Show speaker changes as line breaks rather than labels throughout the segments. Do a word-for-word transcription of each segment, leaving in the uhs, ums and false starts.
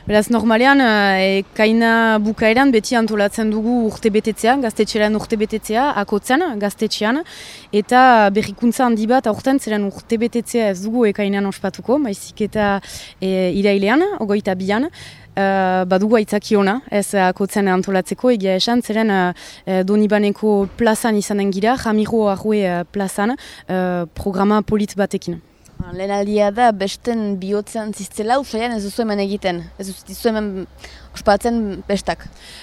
Beraz, normalean, e, kaina bukaeran beti antolatzen dugu urte betetzea, gaztetxearen urte betetzea, akotzen, gaztetxean, eta berrikuntza handi bat aurten zeren urte betetzea ez dugu ekainan ospatuko, baizik eta e, irailean, ogoita bian, Uh, badugu aitzaki ona, ez akotzen antolatzeko, egia esan, zeren uh, Donibaneko plazan izanen gira, Ramiro Arrue uh, plazan, uh, programa polit batekin.
Lehen aldia da, besten bihotzean ziztela, usaian ez duzu hemen egiten, ez duzu hemen ospatzen bestak.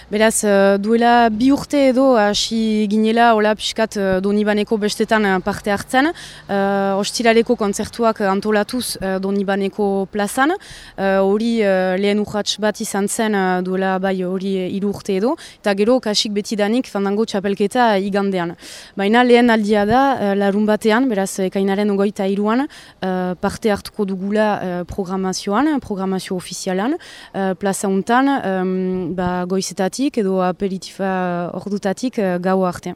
Beraz, duela bi urte edo hasi ginela hola pixkat Donibaneko bestetan parte hartzen. Uh, Ostiraleko kontzertuak antolatuz uh, Donibaneko plazan. Hori uh, uh, lehen urrats bat izan zen uh, duela bai hori hiru urte edo. Eta gero kasik betidanik fandango txapelketa igandean. Baina lehen aldia da uh, larun batean, beraz ekainaren ogoita hiruan uh, parte hartuko dugula uh, programazioan, programazio ofizialan, uh, plaza untan, Um, ba, goizetatik edo aperitifa ordutatik uh, gau arte.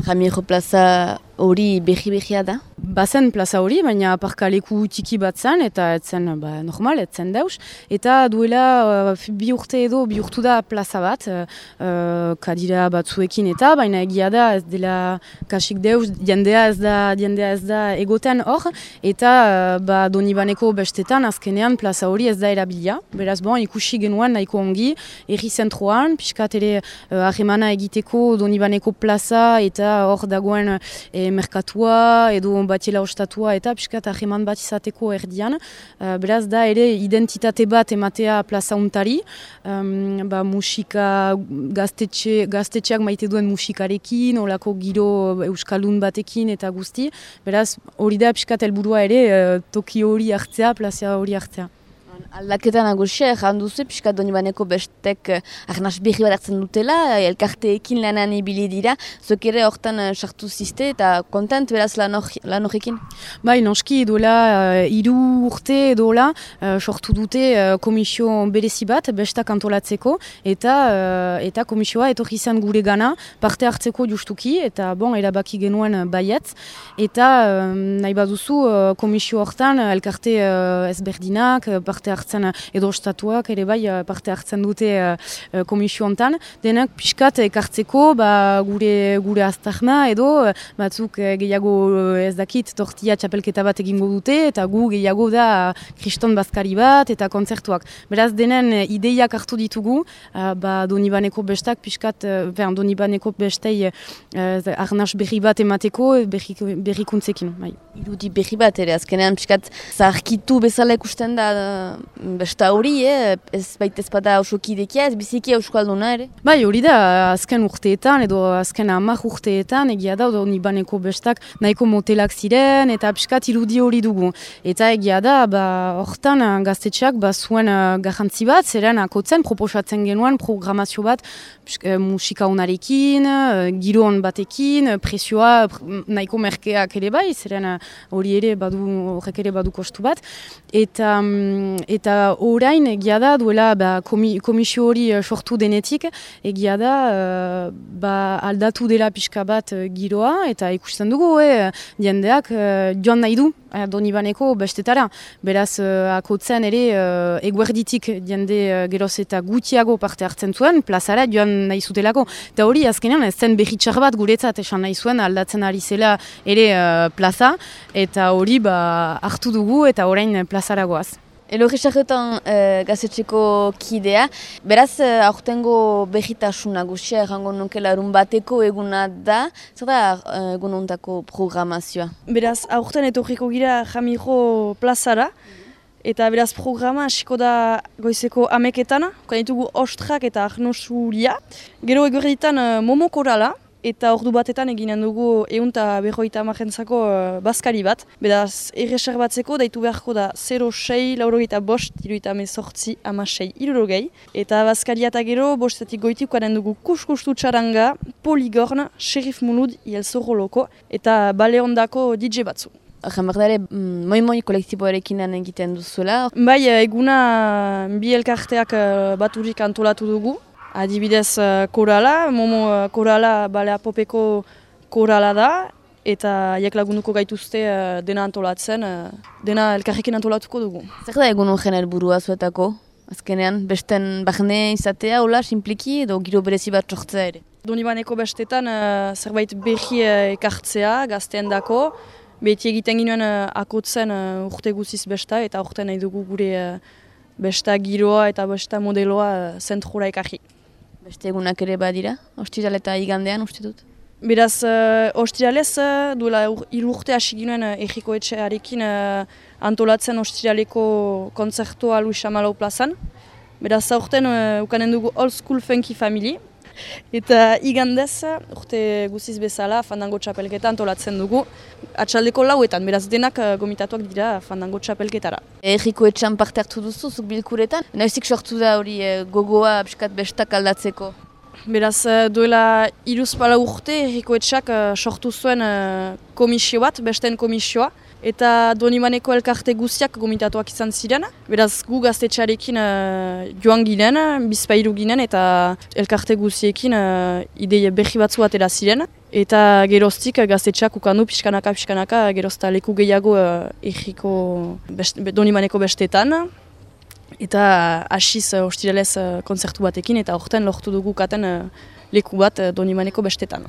Ramiro plaza hori behi-behia da?
Bazen plaza hori, baina aparkaleku tiki bat zen, eta etzen ba, normal, etzen dauz. Eta duela uh, bi urte edo bi urtu da plaza bat, uh, kadira batzuekin eta, baina egia da ez dela kasik deuz, diendea ez da, diendea ez da egoten hor, eta uh, ba, Donibaneko bestetan azkenean plaza hori ez da erabilia. Beraz, bon, ikusi genuen nahiko ongi, erri zentroan, pixkat ere uh, ahemana egiteko Donibaneko plaza, eta hor dagoen e, merkatua edo batiela ostatua eta piskat aheman bat izateko erdian. Uh, beraz da ere identitate bat ematea plaza untari, um, ba, musika gaztetxe, gaztetxeak maite duen musikarekin, olako giro euskaldun batekin eta guzti. Beraz hori da piskat helburua ere uh, toki hori hartzea, plaza hori hartzea.
Aldaketa nagusia, egan duzu, piskat Donibaneko bestek arnaz berri bat hartzen dutela, elkarteekin lanan ibili dira, zuek ere hortan sartu ziste eta kontent beraz lan horrekin?
Bai, noski duela hiru uh, urte edola uh, sortu dute uh, komisio berezi bat, bestak antolatzeko, eta uh, eta komisioa etorri izan gure gana, parte hartzeko justuki, eta bon, erabaki genuen baietz, eta uh, nahi baduzu uh, komisio hortan elkarte uh, ezberdinak, parte hartzen edo ostatuak ere bai parte hartzen dute uh, komisio hontan, denak pixkat ekartzeko ba, gure gure aztarna edo batzuk gehiago ez dakit tortilla txapelketa bat egingo dute eta gu gehiago da kriston bazkari bat eta kontzertuak. Beraz denen ideiak hartu ditugu, uh, ba, Donibaneko bestak pixkat, uh, Donibaneko bestei uh, arnaz berri bat emateko berrikuntzekin. Bai.
Irudi berri bat ere, azkenean pixkat zaharkitu bezala ikusten da besta hori, eh? Ez baita ezpada osokidekia, ez biziki euskalduna ere?
Bai, hori da, azken urteetan edo azken hamar urteetan egia da Donibaneko bestak nahiko motelak ziren eta pixkat irudi hori dugu. Eta egia da, ba, hortan gaztetxeak ba, zuen uh, garrantzi bat, zeren akotzen proposatzen genuen programazio bat pixka, musika honarekin, uh, giron batekin, presioa nahiko merkeak ere bai, zeren hori ere badu, horrek ere badu kostu bat. Eta um, Eta orain egia da duela ba, komi, komisio hori sortu denetik, egia da uh, ba, aldatu dela pixka bat uh, giroa eta ikusten dugu, eh, jendeak uh, joan nahi du uh, Donibaneko bestetara. Beraz, uh, akotzen ere uh, eguerditik jende uh, geroz eta gutiago parte hartzen zuen, plazara joan nahi zutelako. Eta hori azkenean ez zen berritxar bat guretzat esan nahi zuen aldatzen ari zela ere uh, plaza, eta hori ba, hartu dugu eta orain plazara goaz.
Elorri sarretan uh, gazetxeko kidea, beraz uh, aurtengo berritasun nagusia errango nuke larun bateko eguna da, zer da uh, egun ontako programazioa?
Beraz aurten etorriko gira Ramiro plazara, eta beraz programa hasiko da goizeko ameketan, kanitugu ostrak eta arnosuria, gero egorritan uh, momo korala, eta ordu batetan eginen dugu ehun eta berrogeita hamarentzako uh, bazkari bat. Beraz, erreser batzeko daitu beharko da zero sei, laurogeita bost, hirurogeita hemezortzi, hamasei, hirurogei. Eta bazkaria eta gero, bostetik goitikuaren dugu kuskustu txaranga, Poligorn, Sheriff Mulud, Ielzorro loko, eta bale ondako D J batzu.
Jambardare, mm, moi-moi kolektiboarekin lan egiten duzuela.
Bai, eguna bi elkarteak uh, baturik antolatu dugu. Adibidez korala, momo korala balea popeko korala da, eta jak lagunduko gaituzte dena antolatzen, dena elkarrekin antolatuko dugu.
Zer da egun horren helburua zuetako? Azkenean, besten barne izatea, hola, simpliki, edo giro berezi bat sortzea ere.
Donibaneko bestetan uh, zerbait berri uh, ekartzea gazteen dako, beti egiten ginoen uh, akotzen uh, urte guziz besta, eta urte nahi dugu gure uh, besta giroa eta besta modeloa uh, zentrura ekarri.
Beste egunak ere badira, ostiral eta igandean uste dut.
Beraz, uh, ostiralez, uh, duela hiru urte hasi ginoen uh, Ejiko Etxearekin uh, antolatzen ostiraleko kontzertua Luis Amalau plazan. Beraz, aurten uh, ukanen dugu Old School Funky Family. Eta igandez, urte guziz bezala, fandango txapelketa antolatzen dugu. Atxaldeko lauetan, beraz denak uh, gomitatuak dira fandango txapelketara.
Ejiko Etxean parte hartu duzu, zuk bilkuretan. Noizik sortu da hori eh, gogoa pixkat bestak aldatzeko?
Beraz, duela hiruzpalau urte, Ejiko Etxeak uh, sortu zuen uh, komisio bat, besten komisioa, eta Donibaneko elkarte guztiak gomitatuak izan ziren. Beraz, gu gaztetxearekin uh, joan ginen, bizpairu ginen, eta elkarte guztiekin uh, ideia berri batzu atera ziren. Eta geroztik gaztetxeak ukandu pixkanaka, pixkanaka, gerozta leku gehiago uh, Ejiko best, Donibaneko bestetan. Eta hasiz uh, ostiralez uh, kontzertu batekin, eta horten lortu dugu katen uh, leku bat uh, Donibaneko bestetan.